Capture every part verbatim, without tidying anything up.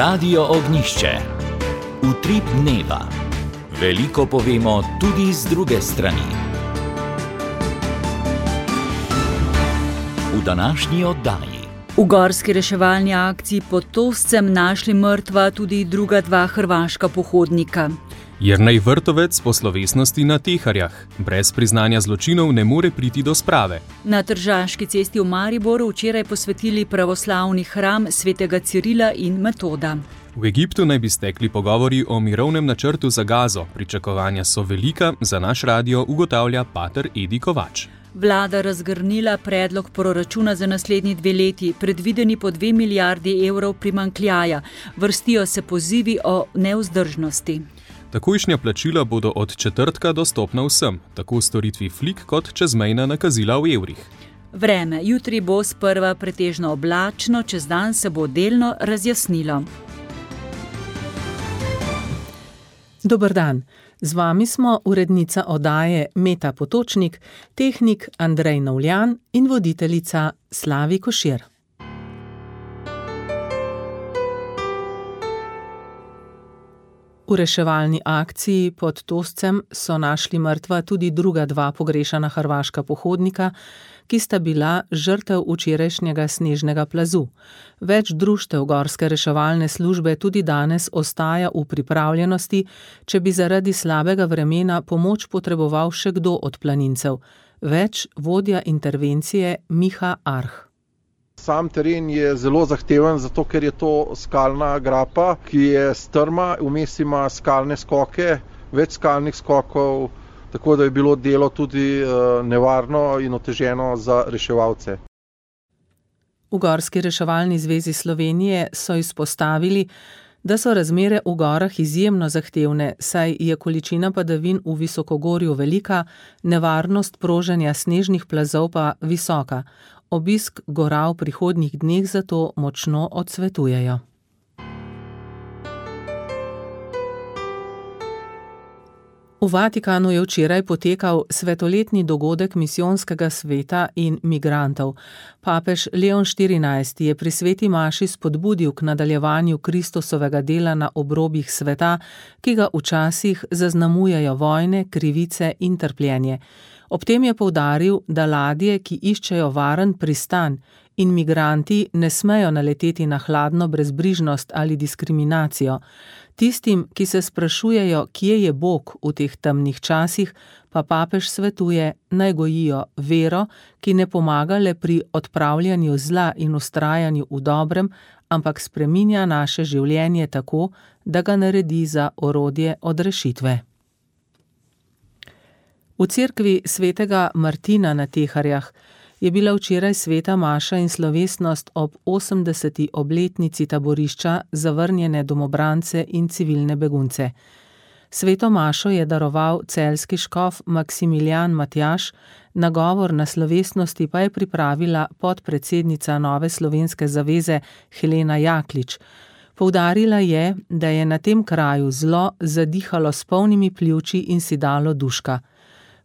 Radio Ognjišče. Utrip dneva. Veliko povemo tudi z druge strani. V današnji oddaji. V gorski reševalni akciji pod Toscem našli mrtva tudi druga dva hrvaška pohodnika. Jernej Vrtovec po slovesnosti na Teharjah. Brez priznanja zločinov ne more priti do sprave. Na Tržaški cesti v Mariboru včeraj posvetili pravoslavni hram svetega Cirila in Metoda. V Egiptu naj bi stekli pogovori o mirovnem načrtu za Gazo. Pričakovanja so velika, za naš radio ugotavlja pater Edi Kovač. Vlada razgrnila predlog proračuna za naslednji dve leti, predvideni po dve milijardi evrov primanjkljaja. Vrstijo se pozivi o nevzdržnosti. Takojšnja plačila bodo od četrtka dostopna vsem, tako v storitvi Flik kot čezmejna nakazila v evrih. Vreme. Jutri bo sprva pretežno oblačno, čez dan se bo delno razjasnilo. Dober dan. Z vami smo urednica oddaje Meta Potočnik, tehnik Andrej Novljan in voditeljica Slavi Košir. V reševalni akciji pod Toscem so našli mrtva tudi druga dva pogrešana hrvaška pohodnika, ki sta bila žrtev včerajšnjega snežnega plazu. Več društev gorske reševalne službe tudi danes ostaja v pripravljenosti, če bi zaradi slabega vremena pomoč potreboval še kdo od planincev. Več vodja intervencije Miha Arh. Sam teren je zelo zahteven, zato ker je to skalna grapa, ki je strma, vmes ima skalne skoke, več skalnih skokov, tako da je bilo delo tudi nevarno in oteženo za reševalce. V Gorski reševalni zvezi Slovenije so izpostavili, da so razmere v gorah izjemno zahtevne, saj je količina padavin v visokogorju velika, nevarnost proženja snežnih plazov pa visoka. Obisk gora v prihodnjih dneh zato močno odsvetujejo. V Vatikanu je včeraj potekal svetoletni dogodek misijonskega sveta in migrantov. Papež Leon štirinajsti je pri sveti maši spodbudil k nadaljevanju Kristusovega dela na obrobjih sveta, ki ga včasih zaznamujejo vojne, krivice in trpljenje. Ob tem je poudaril, da ladje, ki iščejo varen pristan, in migranti ne smejo naleteti na hladno brezbrižnost ali diskriminacijo. Tistim, ki se sprašujejo, kje je Bog v teh temnih časih, pa papež svetuje, naj gojijo vero, ki ne pomaga le pri odpravljanju zla in vztrajanju v dobrem, ampak spreminja naše življenje tako, da ga naredi za orodje odrešitve. V cerkvi svetega Martina na Teharjah je bila včeraj sveta maša in slovesnost ob osemdeseti obletnici taborišča za vrnjene domobrance in civilne begunce. Sveto mašo je daroval celjski škof Maksimilijan Matjaž, nagovor na slovesnosti pa je pripravila podpredsednica Nove slovenske zaveze Helena Jaklič. Poudarila je, da je na tem kraju zlo zadihalo s polnimi pljuči in si dalo duška.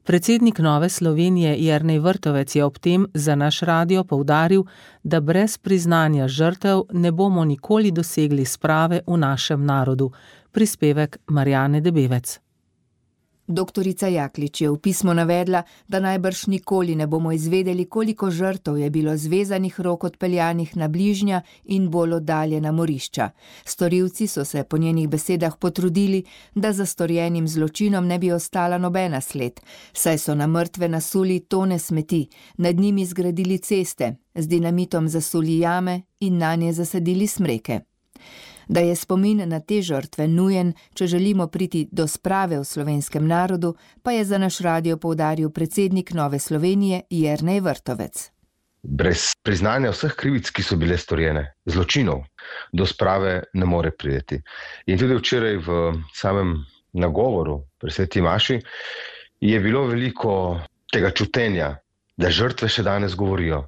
Predsednik Nove Slovenije Jernej Vrtovec je ob tem za naš radio poudaril, da brez priznanja žrtev ne bomo nikoli dosegli sprave v našem narodu. Prispevek Marjane Debevec. Doktorica Jaklič je v pismu navedla, da najbrž nikoli ne bomo izvedeli, koliko žrtev je bilo zvezanih rok odpeljanih na bližnja in bolj oddaljena morišča. Storilci so se po njenih besedah potrudili, da za storjenim zločinom ne bi ostala nobena sled, saj so na mrtve nasuli tone smeti, nad njimi zgradili ceste, z dinamitom zasuli jame in nanje zasadili smreke. Da je spomin na te žrtve nujen, če želimo priti do sprave v slovenskem narodu, pa je za naš radio poudaril predsednik Nove Slovenije Jernej Vrtovec. Brez priznanja vseh krivic, ki so bile storjene, zločinov, do sprave ne more priti. In tudi včeraj v samem nagovoru pri sveti maši je bilo veliko tega čutenja, da žrtve še danes govorijo.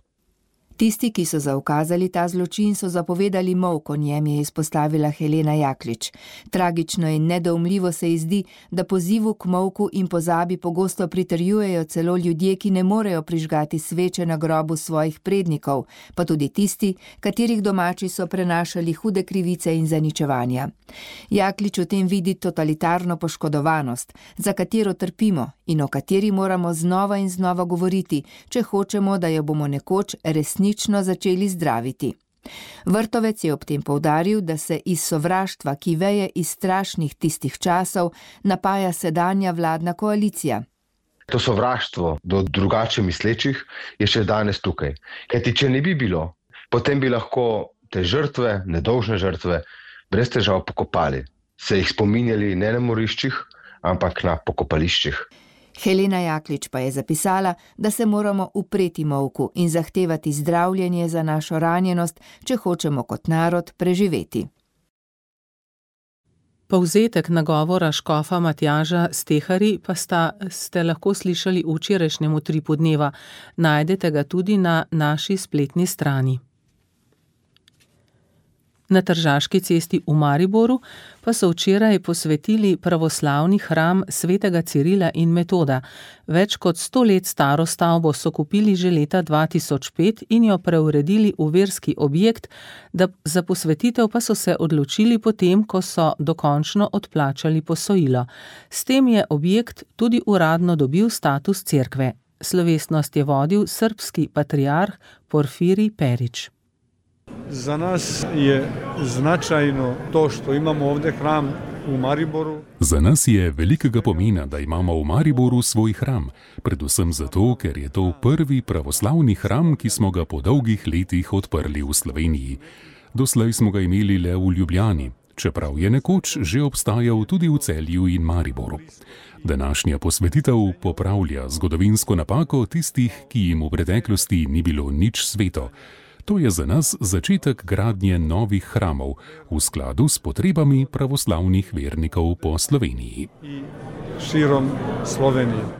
Tisti, ki so zaukazali ta zločin, so zapovedali molk, o njem je izpostavila Helena Jaklič. Tragično in nedoumljivo se ji zdi, da pozivu k molku in pozabi pogosto pritrjujejo celo ljudje, ki ne morejo prižgati sveče na grobu svojih prednikov, pa tudi tisti, katerih domači so prenašali hude krivice in zaničevanja. Jaklič v tem vidi totalitarno poškodovanost, za katero trpimo in o kateri moramo znova in znova govoriti, če hočemo, da jo bomo nekoč resnično začeli zdraviti. Vrtovec je ob tem poudaril, da se iz sovraštva, ki veje iz strašnih tistih časov, napaja sedanja vladna koalicija. To sovraštvo do drugače mislečih je še danes tukaj. Kajti če ne bi bilo, potem bi lahko te žrtve, nedolžne žrtve, brez težav pokopali. Se jih spominjali ne na moriščih, ampak na pokopališčih. Helena Jaklič pa je zapisala, da se moramo upreti molku in zahtevati zdravljenje za našo ranjenost, če hočemo kot narod preživeti. Povzetek nagovora škofa Matjaža Stehari pa sta, ste lahko slišali v včerajšnjem Utripu dneva. Najdete ga tudi na naši spletni strani. Na Tržaški cesti v Mariboru pa so včeraj posvetili pravoslavni hram svetega Cirila in Metoda. Več kot sto let staro stavbo so kupili že leta dva tisoč pet in jo preuredili v verski objekt, da za posvetitev pa so se odločili potem, ko so dokončno odplačali posojilo. S tem je objekt tudi uradno dobil status cerkve. Slovesnost je vodil srbski patriarh Porfirij Perić. Za nas je značajno to, što imamo ovdje hram u Mariboru. Za nas je velikega pomena, da imamo v Mariboru svoj hram, predvsem zato, ker je to prvi pravoslavni hram, ki smo ga po dolgih letih odprli v Sloveniji. Doslej smo ga imeli le v Ljubljani, čeprav je nekoč že obstajal tudi v Celju in Mariboru. Današnja posvetitev popravlja zgodovinsko napako tistih, ki jim v preteklosti ni bilo nič sveto. To je za nas začetek gradnje novih hramov v skladu s potrebami pravoslavnih vernikov po Sloveniji. Širom Slovenije.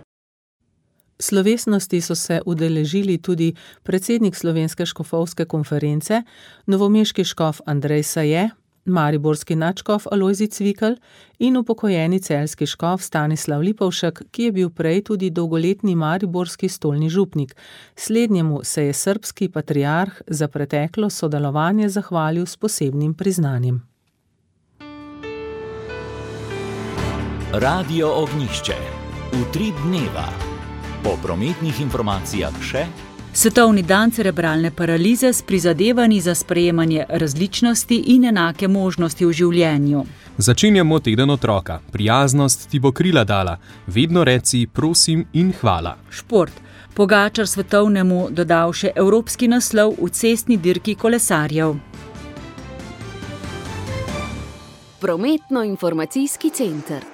Slovesnosti so se udeležili tudi predsednik Slovenske škofovske konference, novomeški škof Andrej Saje, mariborski nadškof Alojzij Cvikl in upokojeni celjski škof Stanislav Lipovšek, ki je bil prej tudi dolgoletni mariborski stolni župnik. Slednjemu se je srbski patriarh za preteklo sodelovanje zahvalil s posebnim priznanjem. Radio Ognjišče. Utrip dneva. Po prometnih informacijah še Svetovni dan cerebralne paralize s prizadevanji za sprejemanje različnosti in enake možnosti v življenju. Začenjamo teden otroka. Prijaznost ti bo krila dala. Vedno reci prosim in hvala. Šport. Pogačar svetovnemu dodal še evropski naslov v cestni dirki kolesarjev. Prometno-informacijski center.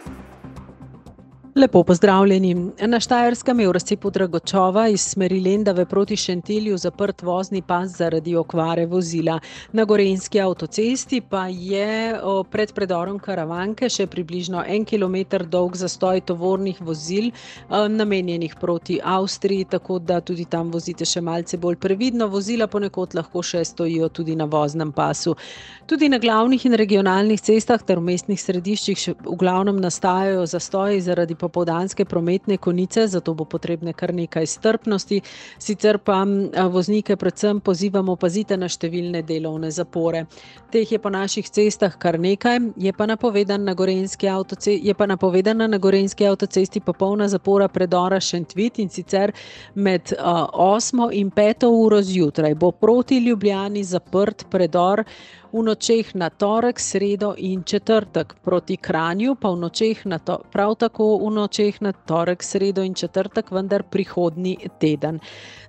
Lepo pozdravljeni. Na Štajerskem je v razcepu Dragočova iz smeri Lendave proti Šentilju zaprt vozni pas zaradi okvare vozila. Na Gorenjski avtocesti pa je pred predorom Karavanke še približno en kilometer dolg zastoj tovornih vozil namenjenih proti Avstriji, tako da tudi tam vozite še malce bolj previdno. Vozila ponekod lahko še stojijo tudi na voznem pasu. Tudi na glavnih in regionalnih cestah ter v mestnih središčih še v glavnem nastajajo zastoji zaradi popoldanske prometne konice, zato bo potrebne kar nekaj strpnosti. Sicer pa voznike predvsem pozivamo, pazite na številne delovne zapore. Teh je po naših cestah kar nekaj, je pa napovedan na Gorenjski avtocesti, je pa napovedana na Gorenjski avtocesti popolna zapora predora Šentvit, in sicer med uh, osmo in peto uro zjutraj bo proti Ljubljani zaprt predor v nočeh na torek, sredo in četrtek. Proti Kranju pa v nočeh na to, prav tako v nočeh na torek, sredo in četrtek, vendar prihodnji teden.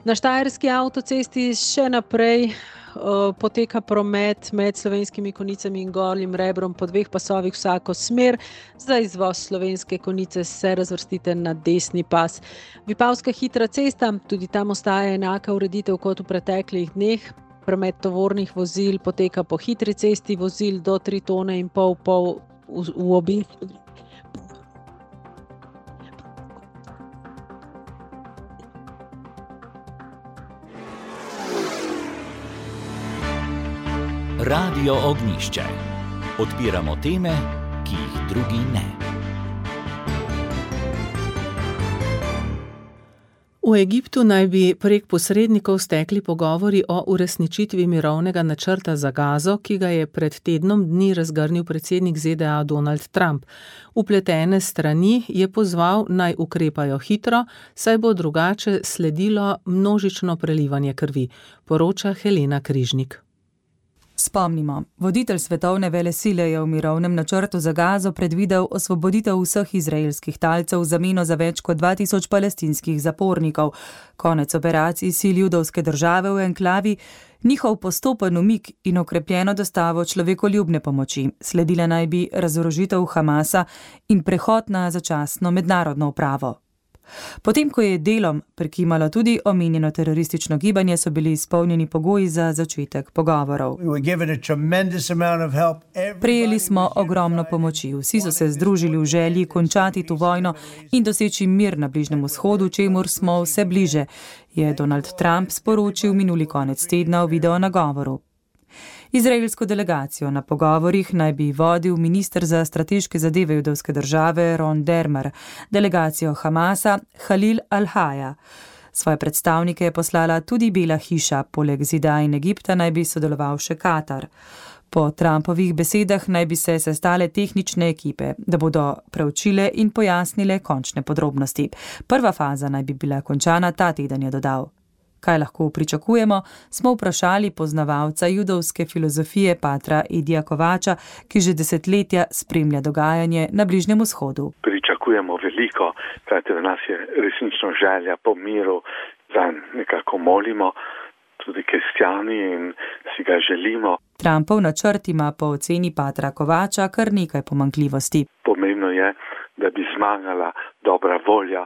Na Štajerski avtocesti še naprej uh, poteka promet med Slovenskimi Konicami in Gornjim Rebrom po dveh pasovih vsako smer. Za izvoz Slovenske Konice se razvrstite na desni pas. Vipavska hitra cesta, tudi tam ostaja enaka ureditev kot v preteklih dneh. Promet tovornih vozil poteka po hitri cesti, vozil do tri tone in pol pol v, v obeh. Radio Ognjišče. Odpiramo teme, ki jih drugi ne. V Egiptu naj bi prek posrednikov stekli pogovori o uresničitvi mirovnega načrta za Gazo, ki ga je pred tednom dni razgrnil predsednik Z D A Donald Trump. Vpletene strani je pozval, naj ukrepajo hitro, saj bo drugače sledilo množično prelivanje krvi, poroča Helena Križnik. Spomnimo, voditelj svetovne velesile je v mirovnem načrtu za Gazo predvidel osvoboditev vseh izraelskih talcev v zameno za več kot dva tisoč palestinskih zapornikov, konec operacij sil judovske države v enklavi, njihov postopen umik in okrepljeno dostavo človekoljubne pomoči. Sledila naj bi razorožitev Hamasa in prehod na začasno mednarodno upravo. Potem, ko je delom prekimalo tudi omenjeno teroristično gibanje, so bili izpolnjeni pogoji za začetek pogovorov. Prejeli smo ogromno pomoči, vsi so se združili v želji končati to vojno in doseči mir na Bližnjem vzhodu, čemur smo vse bliže, je Donald Trump sporočil minuli konec tedna v video nagovoru. Izraelsko delegacijo na pogovorih naj bi vodil minister za strateške zadeve judovske države Ron Dermer, delegacijo Hamasa Halil Al-Haja. Svoje predstavnike je poslala tudi Bela hiša, poleg ZDA in Egipta naj bi sodeloval še Katar. Po Trumpovih besedah naj bi se sestale tehnične ekipe, da bodo preučile in pojasnile končne podrobnosti. Prva faza naj bi bila končana ta teden, je dodal. Kaj lahko pričakujemo, smo vprašali poznavalca judovske filozofije patra Edija Kovača, ki že desetletja spremlja dogajanje na Bližnjem vzhodu. Pričakujemo veliko, kajti v nas je resnično želja po miru, zanj nekako molimo, tudi kristjani, in si ga želimo. Trumpov načrt ima po oceni patra Kovača kar nekaj pomanjkljivosti. Pomembno je, da bi zmagala dobra volja.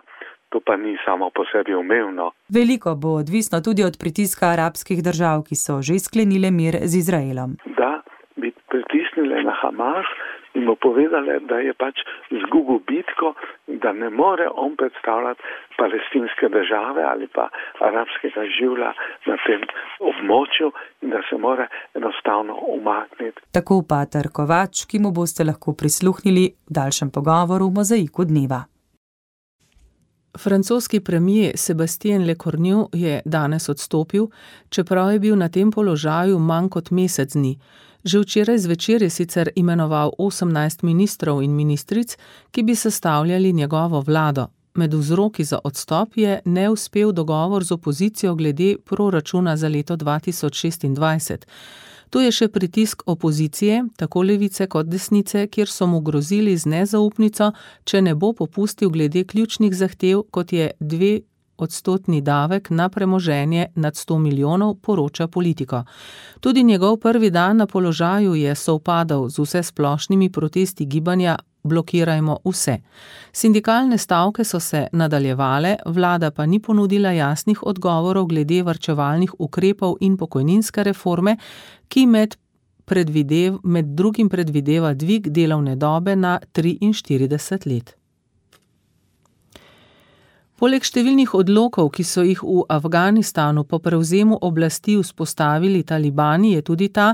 To pa ni samo po sebi umevno. Veliko bo odvisno tudi od pritiska arabskih držav, ki so že sklenile mir z Izraelom. Da bi pritisnile na Hamas in mu povedale, da je pač izgubil bitko, da ne more on predstavljati palestinske države ali pa arabskega življa na tem območju in da se mora enostavno umakniti. Tako pater Kovač, ki mu boste lahko prisluhnili v daljšem pogovoru v Mozaiku dneva. Francoski premier Sébastien Lecornu je danes odstopil, čeprav je bil na tem položaju manj kot mesec dni. Že včeraj zvečer je sicer imenoval osemnajst ministrov in ministric, ki bi sestavljali njegovo vlado. Med vzroki za odstop je neuspel dogovor z opozicijo glede proračuna za leto dva tisoč šestindvajset. Tu je še pritisk opozicije, tako levice kot desnice, kjer so mu grozili z nezaupnico, če ne bo popustil glede ključnih zahtev, kot je dve odstotni davek na premoženje nad sto milijonov, poroča Politico. Tudi njegov prvi dan na položaju je sovpadal z vsesplošnimi protesti gibanja Blokirajmo vse. Sindikalne stavke so se nadaljevale, vlada pa ni ponudila jasnih odgovorov glede varčevalnih ukrepov in pokojninske reforme, ki med, predvidev, med drugim predvideva dvig delovne dobe na triinštirideset let. Poleg številnih odlokov, ki so jih v Afganistanu po prevzemu oblasti vzpostavili talibani, je tudi ta,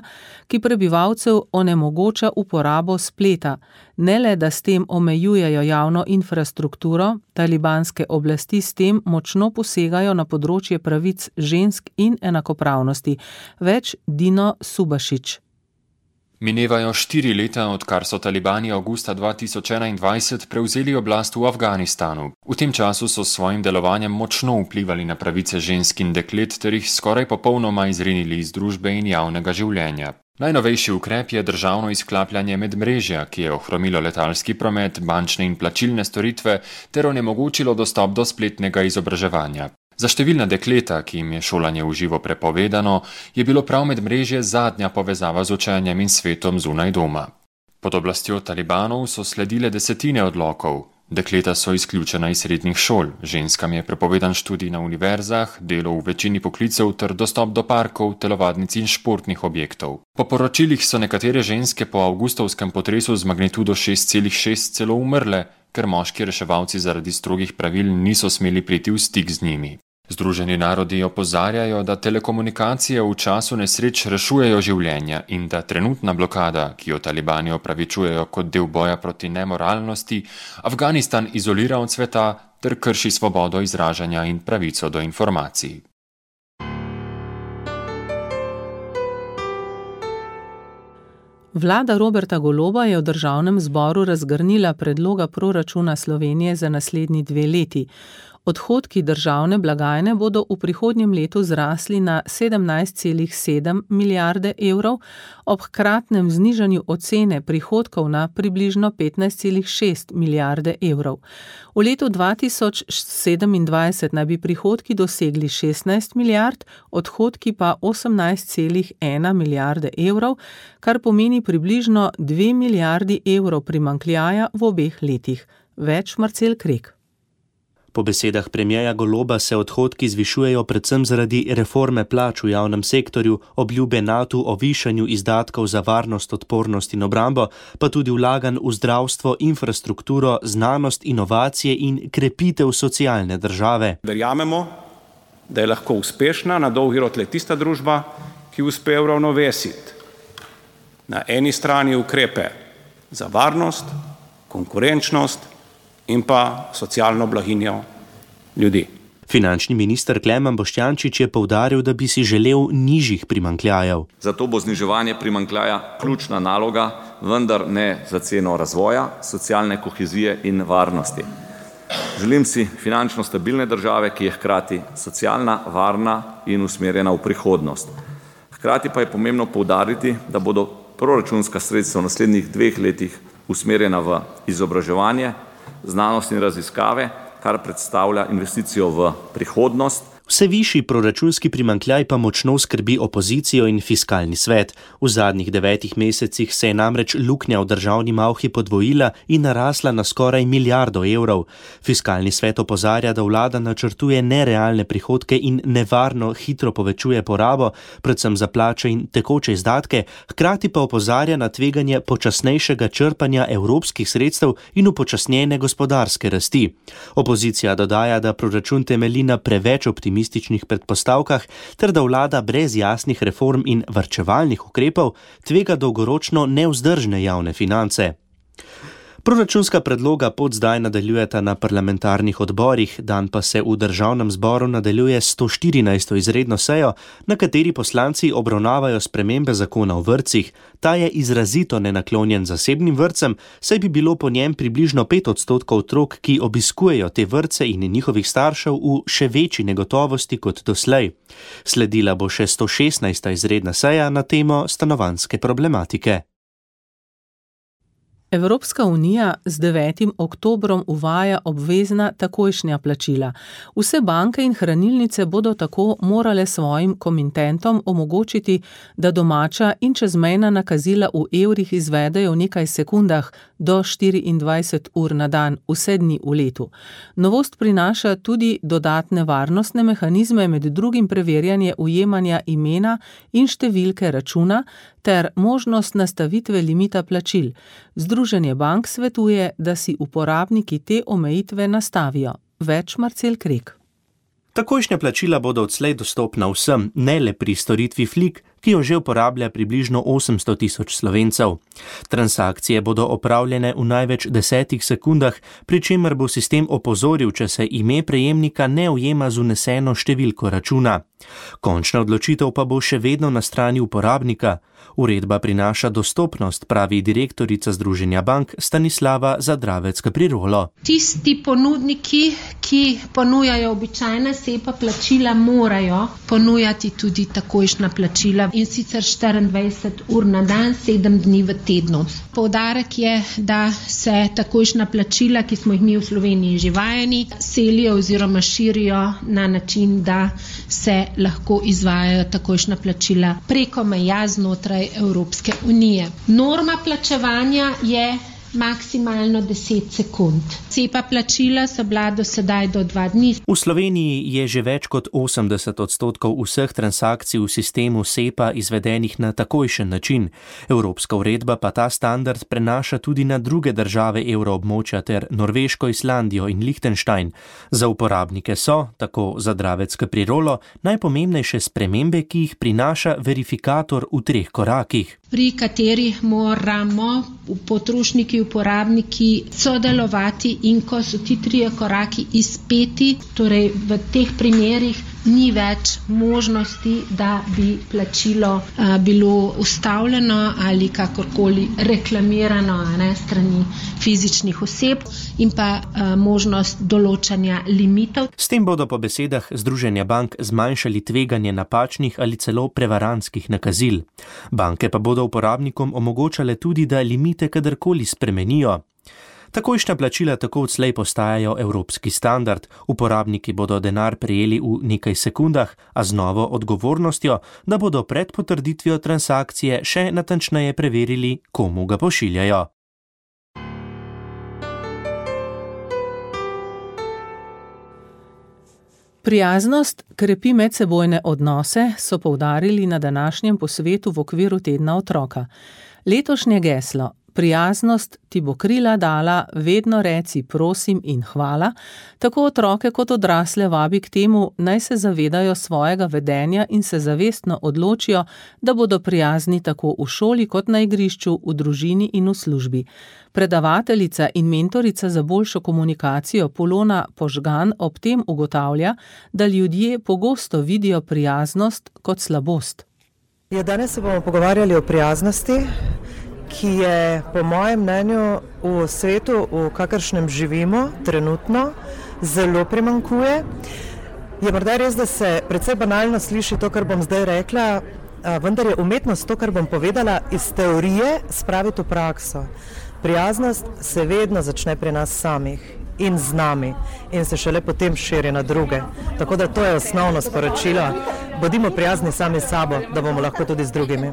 ki prebivalcev onemogoča uporabo spleta. Ne le, da s tem omejujejo javno infrastrukturo, talibanske oblasti s tem močno posegajo na področje pravic žensk in enakopravnosti. Več Dino Subašič. Minevajo štiri leta, odkar so talibani avgusta dva tisoč enaindvajset prevzeli oblast v Afganistanu. V tem času so s svojim delovanjem močno vplivali na pravice žensk in deklet ter jih skoraj popolnoma izrinili iz družbe in javnega življenja. Najnovejši ukrep je državno izklapljanje medmrežja, ki je ohromilo letalski promet, bančne in plačilne storitve ter onemogočilo dostop do spletnega izobraževanja. Za številna dekleta, ki jim je šolanje v živo prepovedano, je bilo prav medmrežje zadnja povezava z učenjem in svetom zunaj doma. Pod oblastjo talibanov so sledile desetine odlokov. Dekleta so izključena iz srednjih šol, ženskam je prepovedan študij na univerzah, delo v večini poklicev ter dostop do parkov, telovadnic in športnih objektov. Po poročilih so nekatere ženske po avgustovskem potresu z magnitudo šest celih šest celo umrle, ker moški reševalci zaradi strogih pravil niso smeli priti v stik z njimi. Združeni narodi opozarjajo, da telekomunikacije v času nesreč rešujejo življenja in da trenutna blokada, ki jo talibani opravičujejo kot del boja proti nemoralnosti, Afganistan izolira od sveta ter krši svobodo izražanja in pravico do informacij. Vlada Roberta Goloba je v državnem zboru razgrnila predloga proračuna Slovenije za naslednji dve leti. Odhodki državne blagajne bodo v prihodnjem letu zrasli na sedemnajst celih sedem milijarde evrov, ob hkratnem znižanju ocene prihodkov na približno petnajst celih šest milijarde evrov. V letu dva tisoč sedemindvajset naj bi prihodki dosegli šestnajst milijard, odhodki pa osemnajst celih ena milijarde evrov, kar pomeni približno dve milijardi evrov primanjkljaja v obeh letih. Več Marcel Krek. Po besedah premierja Goloba se odhodki zvišujejo predvsem zaradi reforme plač v javnem sektorju, obljube NATO o višanju izdatkov za varnost, odpornost in obrambo, pa tudi vlaganj v zdravstvo, infrastrukturo, znanost, inovacije in krepitev socialne države. Verjamemo, da je lahko uspešna na dolgi rok le tista družba, ki uspe uravnovesiti na eni strani ukrepe za varnost, konkurenčnost in pa socialno blaginjo ljudi. Finančni minister Klemen Boštjančič je poudaril, da bi si želel nižjih primanjkljajev. Zato bo zniževanje primanjkljaja ključna naloga, vendar ne za ceno razvoja, socialne kohezije in varnosti. Želim si finančno stabilne države, ki je hkrati socialna, varna in usmerjena v prihodnost. Hkrati pa je pomembno poudariti, da bodo proračunska sredstva v naslednjih dveh letih usmerjena v izobraževanje, znanost in raziskave, kar predstavlja investicijo v prihodnost. Vse višji proračunski primanjkljaj pa močno skrbi opozicijo in fiskalni svet. V zadnjih devetih mesecih se je namreč luknja v državni malhi podvojila in narasla na skoraj milijardo evrov. Fiskalni svet opozarja, da vlada načrtuje nerealne prihodke in nevarno hitro povečuje porabo, predvsem za plače in tekoče izdatke, hkrati pa opozarja na tveganje počasnejšega črpanja evropskih sredstev in upočasnjene gospodarske rasti. Opozicija dodaja, da proračun temelji na preveč optimističnih predpostavkah ter da vlada brez jasnih reform in varčevalnih ukrepov tvega dolgoročno nevzdržne javne finance. Proračunska predloga pot zdaj nadaljujeta na parlamentarnih odborih, dan pa se v državnem zboru nadaljuje sto štirinajsto izredno sejo, na kateri poslanci obravnavajo spremembe zakona o vrtcih. Ta je izrazito nenaklonjen zasebnim vrtcem, saj bi bilo po njem približno pet odstotkov otrok, ki obiskujejo te vrtce in njihovih staršev v še večji negotovosti kot doslej. Sledila bo še sto šestnajsta izredna seja na temo stanovanjske problematike. Evropska unija z devetim oktobrom uvaja obvezna takojšnja plačila. Vse banke in hranilnice bodo tako morale svojim komitentom omogočiti, da domača in čezmejna nakazila v evrih izvedejo v nekaj sekundah do štiriindvajset ur na dan, vse dni v letu. Novost prinaša tudi dodatne varnostne mehanizme, med drugim preverjanje ujemanja imena in številke računa ter možnost nastavitve limita plačil. Združenje bank svetuje, da si uporabniki te omejitve nastavijo. Več Marcel Krek. Takojšnja plačila bodo odslej dostopna vsem, ne le pri storitvi Flik, ki jo že uporablja približno osemsto tisoč Slovencev. Transakcije bodo opravljene v največ desetih sekundah, pri čemer bo sistem opozoril, če se ime prejemnika ne ujema z vneseno številko računa. Končna odločitev pa bo še vedno na strani uporabnika. Uredba prinaša dostopnost, pravi direktorica Združenja bank Stanislava Zadravec-Kaprirolo. Tisti ponudniki, ki ponujajo običajna SEPA plačila, morajo ponujati tudi takojšnja plačila in sicer štiriindvajset ur na dan, sedem dni v tednu. Poudarek je, da se takojšnja plačila, ki smo jih mi v Sloveniji že vajeni, selijo oziroma širijo na način, da se lahko izvajajo takojšnja plačila preko meja znotraj Evropske unije. Norma plačevanja je maksimalno deset sekund. SEPA plačila so bila do sedaj do dva dni. V Sloveniji je že več kot osemdeset odstotkov vseh transakcij v sistemu SEPA izvedenih na takojšen način. Evropska uredba pa ta standard prenaša tudi na druge države evroobmočja ter Norveško, Islandijo in Liechtenstein. Za uporabnike so, tako za Dravec Caprirolo, najpomembnejše spremembe, ki jih prinaša verifikator v treh korakih. Pri katerih moramo potrošniki, uporabniki sodelovati in ko so ti trije koraki izpeti, torej v teh primerih ni več možnosti, da bi plačilo a, bilo ustavljeno ali kakorkoli reklamirano ne, strani fizičnih oseb in pa a, možnost določanja limitov. S tem bodo po besedah Združenja bank zmanjšali tveganje napačnih ali celo prevarantskih nakazil. Banke pa bodo uporabnikom omogočale tudi, da limite kadarkoli spremenijo. Takojšnja plačila tako odslej postajajo evropski standard. Uporabniki bodo denar prejeli v nekaj sekundah, a z novo odgovornostjo, da bodo pred potrditvijo transakcije še natančneje preverili, komu ga pošiljajo. Prijaznost krepi medsebojne odnose, so poudarili na današnjem posvetu v okviru tedna otroka. Letošnje geslo Prijaznost ti bo krila dala, vedno reci prosim in hvala, tako otroke kot odrasle vabi k temu, naj se zavedajo svojega vedenja in se zavestno odločijo, da bodo prijazni tako v šoli kot na igrišču, v družini in v službi. Predavateljica in mentorica za boljšo komunikacijo Polona Požgan ob tem ugotavlja, da ljudje pogosto vidijo prijaznost kot slabost. Ja, danes se bomo pogovarjali o prijaznosti, ki je po mojem mnenju v svetu, v kakršnem živimo trenutno, zelo primanjkuje. Je morda res, da se precej banalno sliši to, kar bom zdaj rekla, vendar je umetnost to, kar bom povedala, iz teorije spraviti v prakso. Prijaznost se vedno začne pri nas samih in z nami in se šele potem širi na druge. Tako da to je osnovno sporočilo. Bodimo prijazni sami s sabo, da bomo lahko tudi z drugimi.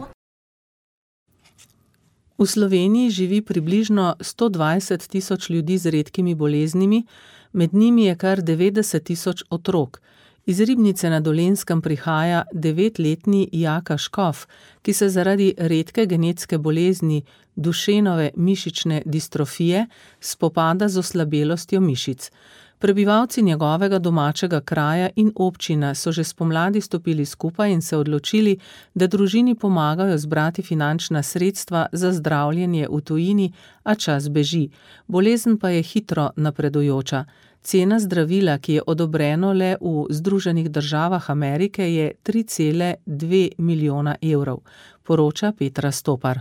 V Sloveniji živi približno sto dvajset tisoč ljudi z redkimi boleznimi, med njimi je kar devetdeset tisoč otrok. Iz Ribnice na Dolenjskem prihaja devetletni Jaka Škof, ki se zaradi redke genetske bolezni Dušenove mišične distrofije spopada z oslabelostjo mišic. Prebivalci njegovega domačega kraja in občina so že spomladi stopili skupaj in se odločili, da družini pomagajo zbrati finančna sredstva za zdravljenje v tujini, a čas beži. Bolezen pa je hitro napredujoča. Cena zdravila, ki je odobreno le v Združenih državah Amerike, je tri cele dve milijona evrov, poroča Petra Stopar.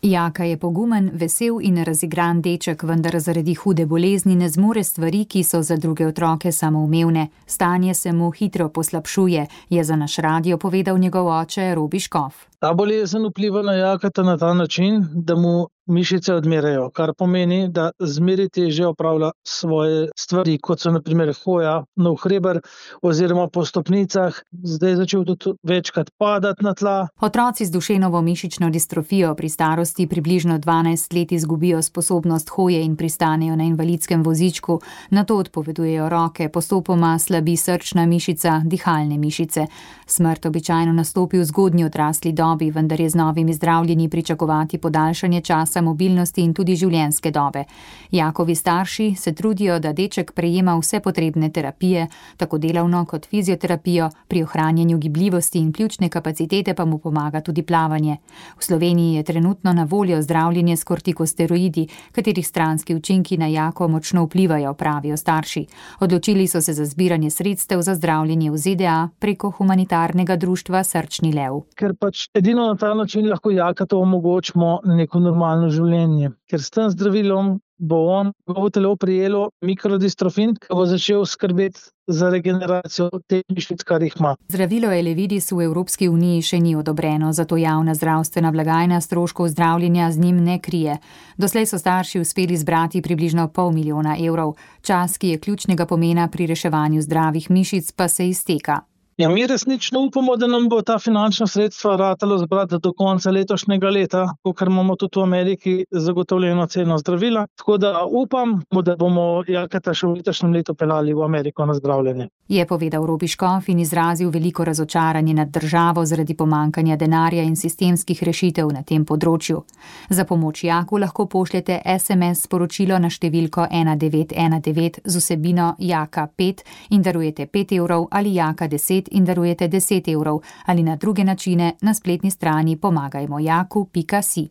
Jaka je pogumen, vesel in razigran deček, vendar zaradi hude bolezni ne zmore stvari, ki so za druge otroke samoumevne. Stanje se mu hitro poslabšuje, je za naš radio povedal njegov oče Robi Škof. Ta bolezen vpliva na Jakata na ta način, da mu mišice odmirajo, kar pomeni, da zmeri težje opravlja svoje stvari, kot so na primer hoja na hreber oziroma po stopnicah. Zdaj je začel tudi večkrat padati na tla. Otroci z Dušenovo mišično distrofijo pri starosti približno dvanajst let izgubijo sposobnost hoje in pristanejo na invalidskem vozičku, nato odpovedujejo roke, postopoma slabi srčna mišica, dihalne mišice. Smrt običajno nastopi v zgodnji odrasli dobi, vendar je z novimi zdravljenji pričakovati podaljšanje časa mobilnosti in tudi življenjske dobe. Jakovi starši se trudijo, da deček prejema vse potrebne terapije, tako delavno kot fizioterapijo, pri ohranjanju gibljivosti in pljučne kapacitete pa mu pomaga tudi plavanje. V Sloveniji je trenutno na voljo zdravljenje s kortikosteroidi, katerih stranski učinki na Jako močno vplivajo, pravijo starši. Odločili so se za zbiranje sredstev za zdravljenje v Z D A preko humanitarnega društva Srčni lev. Ker pač edino na ta način lahko Jakatu omogočimo neko normalno življenje. Ker s tem zdravilom bo on, njegovo telo prijelo mikrodistrofin, ki bo začel skrbeti za regeneracijo teh mišic, kar jih ima. Zdravilo Elevidis v Evropski uniji še ni odobreno, zato javna zdravstvena blagajna stroškov zdravljenja z njim ne krije. Doslej so starši uspeli zbrati približno pol milijona evrov. Čas, ki je ključnega pomena pri reševanju zdravih mišic, pa se izteka. Ja, mi resnično upamo, da nam bo ta finančna sredstva ratalo zbrati do konca letošnjega leta, ker imamo tudi v Ameriki zagotovljeno ceno zdravila. Tako da upam, da bomo Jakata še v letošnjem letu peljali v Ameriko na zdravljenje. Je povedal Robi Škof in izrazil veliko razočaranje nad državo zaradi pomankanja denarja in sistemskih rešitev na tem področju. Za pomoč Jaku lahko pošljete es em es sporočilo na številko ena devet ena devet z vsebino Jaka pet in darujete pet evrov ali Jaka deset in darujete deset evrov ali na druge načine na spletni strani pomagajmojaku pika si.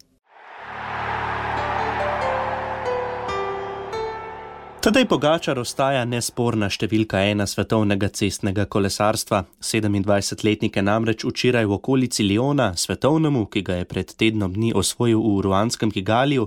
Tadej Pogačar ostaja nesporna številka ena svetovnega cestnega kolesarstva. sedemindvajsetletnik je namreč včeraj v okolici Liona, svetovnemu, ki ga je pred tednom dni osvojil v ruanskem Kigaliju,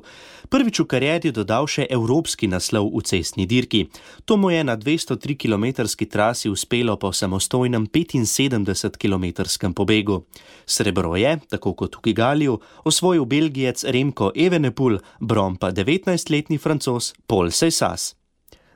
prvič v karieri dodal še evropski naslov v cestni dirki. To mu je na dvesto tri kilometrski trasi uspelo po samostojnem petinsedemdesetkilometrskem pobegu. Srebro je, tako kot v Kigaliju, osvojil Belgijec Remko Evenepoel, bron pa devetnajstletni Francoz Paul Seyssas.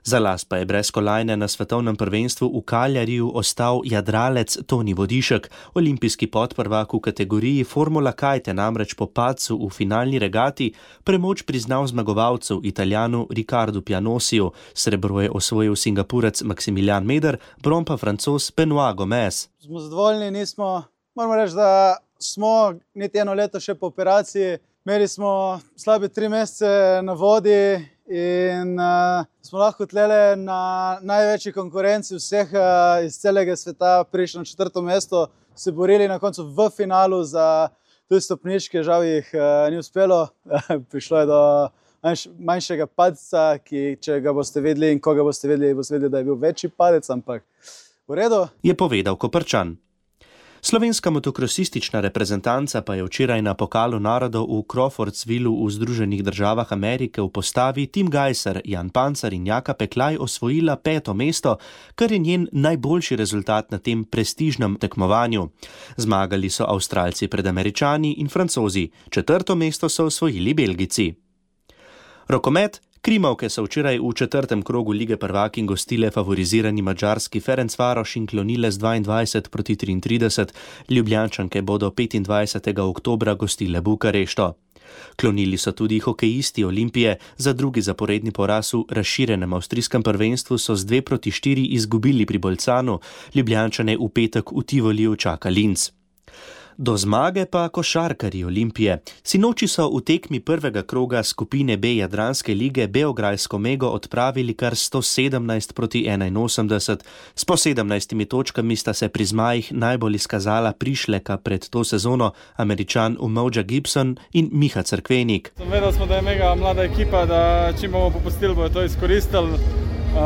Za las pa je brez kolajne na svetovnem prvenstvu v Kaljariju ostal jadralec Toni Vodišek, olimpijski podprvak v kategoriji Formula Kajte, namreč po padcu v finalni regati premoč priznal zmagovalcu Italijanu Riccardu Pianosiju. Srebro je osvojil Singapurec Maximilian Meder, bron pa Francoz Benoit Gomez. Smo zadovoljni, nismo, moramo reči, da smo niti eno leto še po operaciji. Imeli smo slabe tri mesece na vodi in uh, smo lahko tlele na največji konkurenci vseh uh, iz celega sveta prišli na četrto mesto, se borili na koncu v finalu za tudi stopničke, žal jih uh, ni uspelo. Prišlo je do manjš, manjšega padca, ki če ga boste vedeli in koga boste vedeli, boste vedeli, da je bil večji padec, ampak v redu. Je povedal Koprčan. Slovenska motokrosistična reprezentanca pa je včeraj na Pokalu narodov v Crawfordsvillu v Združenih državah Amerike v postavi Tim Gajser, Jan Pancar in Jaka Peklaj osvojila peto mesto, kar je njen najboljši rezultat na tem prestižnem tekmovanju. Zmagali so Avstralci pred Američani in Francozi, četrto mesto so osvojili Belgijci. Rokomet. Krimovke so včeraj v četrtem krogu lige prvakinj gostile favorizirani madžarski Ferencvaroš in klonile z dvaindvajset proti triintrideset. Ljubljančanke bodo petindvajsetega oktobra gostile Bukarešto. Klonili so tudi hokejisti Olimpije, za drugi zaporedni poraz v razširjenem avstrijskem prvenstvu so z dve proti štiri izgubili pri Bolcanu, Ljubljančane v petek v Tivoliju čaka Linz. Do zmage pa košarkarji Olimpije. Sinoči so v tekmi prvega kroga skupine B Jadranske lige beograjsko Mego odpravili kar sto sedemnajst proti enainosemdeset. S po sedemnajstimi točkami sta se pri zmajih najbolj izkazala prišleka pred to sezono, Američan Umoja Gibson in Miha Cerkvenik. Vedeli smo, da je Mega mlada ekipa, da čim bomo popustili, bojo to izkoristili. Uh,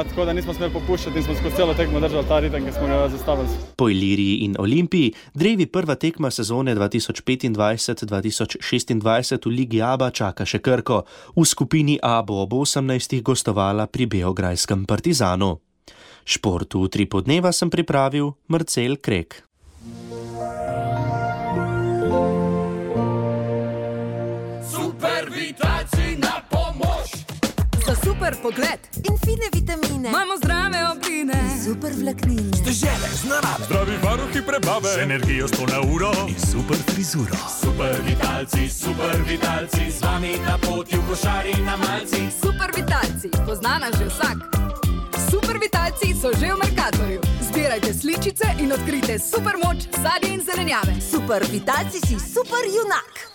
tako da nismo smeli popuščati in smo skozi celo tekmo držali ta ritem, ki smo ga zastavili. Po Iliriji in Olimpiji drevi prva tekma sezone dva tisoč petindvajset dva tisoč šestindvajset v Ligi Aba čaka še Krko. V skupini A bo ob osemnajstih gostovala pri beograjskem Partizanu. Športu v tri podneva sem pripravil Marcel Krek. Super pogled in fine vitamine. Imamo zdrave obline. Super vlaknine. Dežele z narave. Zdravi varuhi prebave. Z energijo sto na uro. In super frizuro. Super vitalci, super vitalci. Z vami na poti v košari na malci. Super vitalci, poznana že vsak. Super vitalci so že v Mercatorju. Zbirajte sličice in odkrite super moč sadja in zelenjave. Super vitalci si super junak.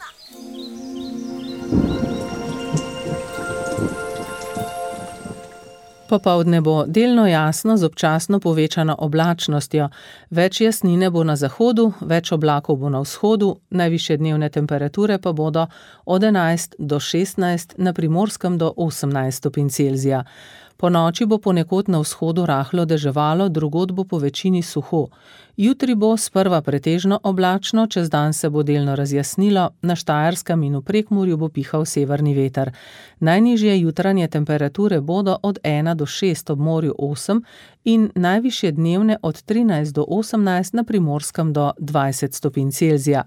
Popoldne bo delno jasno z občasno povečano oblačnostjo. Več jasnine bo na zahodu, več oblakov bo na vzhodu, najvišje dnevne temperature pa bodo od enajst do šestnajst, na Primorskem do osemnajst stopinj Celzija. Po noči bo ponekod na vzhodu rahlo deževalo, drugod bo po večini suho. Jutri bo sprva pretežno oblačno, čez dan se bo delno razjasnilo, na Štajerskem in v Prekmurju bo pihal severni veter. Najnižje jutranje temperature bodo od ena do šest, ob morju osem in najvišje dnevne od trinajst do osemnajst, na Primorskem do dvajset stopinj Celzija.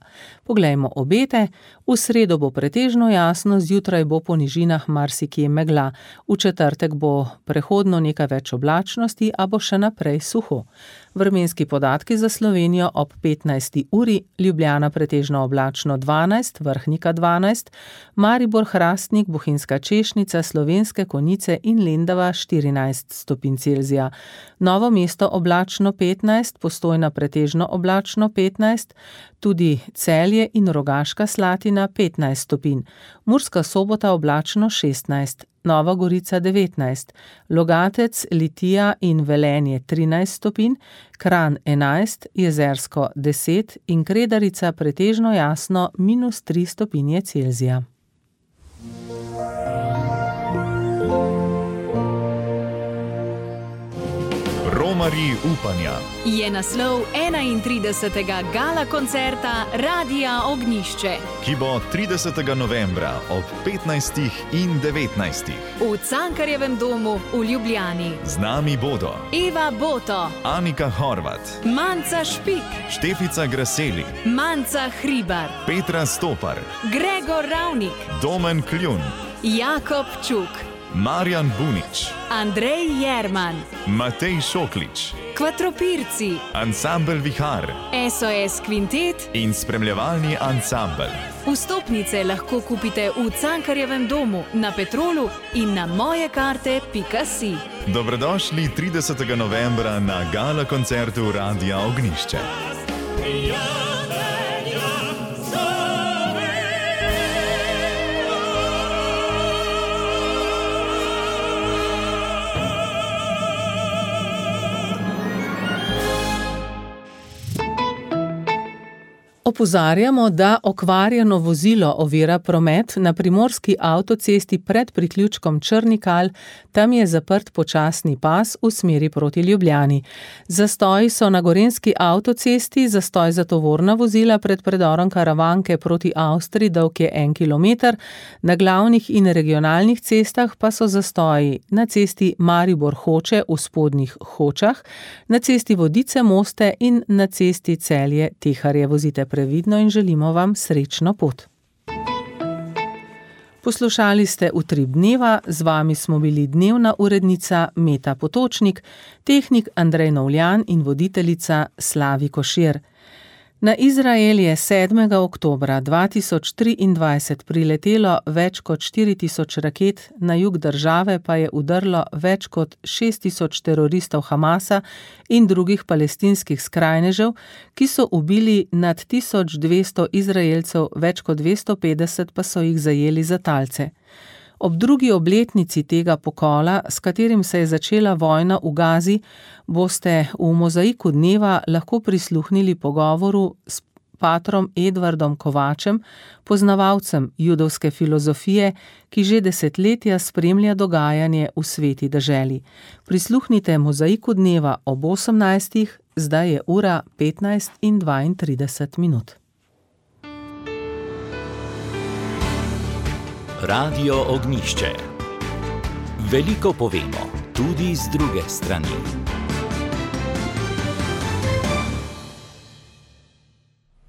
Poglejmo obete. V sredo bo pretežno jasno, zjutraj bo po nižinah marsikje megla. V četrtek bo prehodno nekaj več oblačnosti, a bo še naprej suho. Vremenski podatki za Slovenijo ob petnajsti uri, Ljubljana pretežno oblačno dvanajst, Vrhnika dvanajst, Maribor, Hrastnik, Bohinjska Češnica, Slovenske Konjice in Lendava štirinajst stopinj Celzija. Novo mesto oblačno petnajst, Postojna pretežno oblačno petnajst, tudi Celje in Rogaška Slatina petnajst stopinj, Murska Sobota oblačno šestnajst, Nova Gorica devetnajst, Logatec, Litija in Velenje trinajst stopinj, Kranj enajst, Jezersko deset in Kredarica pretežno jasno minus tri stopinje Celzija. Romarji upanja je naslov enaintridesetega gala koncerta Radia Ognjišče, ki bo tridesetega novembra ob petnajstih in devetnajstih v Cankarjevem domu v Ljubljani. Z nami bodo Eva Boto, Anika Horvat, Manca Špik, Štefica Graseli, Manca Hribar, Petra Stopar, Gregor Ravnik, Domen Kljun, Jakob Čuk, Marjan Bunič, Andrej Jerman, Matej Šoklič, Kvatropirci, Ansambel Vihar, S O S Kvintet in spremljevalni ansambel. Vstopnice lahko kupite v Cankarjevem domu, na Petrolu in na mojekarte pika si. Dobrodošli tridesetega novembra na gala koncertu Radia Ognjišče. Opozarjamo, da okvarjeno vozilo ovira promet na primorski avtocesti pred priključkom Črnikal, tam je zaprt počasni pas v smeri proti Ljubljani. Zastoji so na gorenjski avtocesti, zastoj za tovorna vozila pred predorom Karavanke proti Avstriji, dolg je en kilometer, na glavnih in regionalnih cestah pa so zastoji na cesti Maribor-Hoče v spodnjih Hočah, na cesti Vodice-Moste in na cesti Celje-Teharje. Vozite previdno in želimo vam srečno pot. Poslušali ste Utrip dneva, z vami smo bili dnevna urednica Meta Potočnik, tehnik Andrej Novljan in voditeljica Slavi Košir. Na Izrael je sedmega oktobra dva tisoč triindvajset priletelo več kot štiri tisoč raket, na jug države pa je udrlo več kot šest tisoč teroristov Hamasa in drugih palestinskih skrajnežev, ki so ubili nad tisoč dvesto Izraelcev, več kot dvesto petdeset pa so jih zajeli za talce. Ob drugi obletnici tega pokola, s katerim se je začela vojna v Gazi, boste v Mozaiku dneva lahko prisluhnili pogovoru s patrom Edvardom Kovačem, poznavalcem judovske filozofije, ki že desetletja spremlja dogajanje v sveti deželi. Prisluhnite Mozaiku dneva ob osemnajstih, zdaj je ura petnajst in dvaintrideset minut. Radio Ognjišče. Veliko povemo, tudi z druge strani.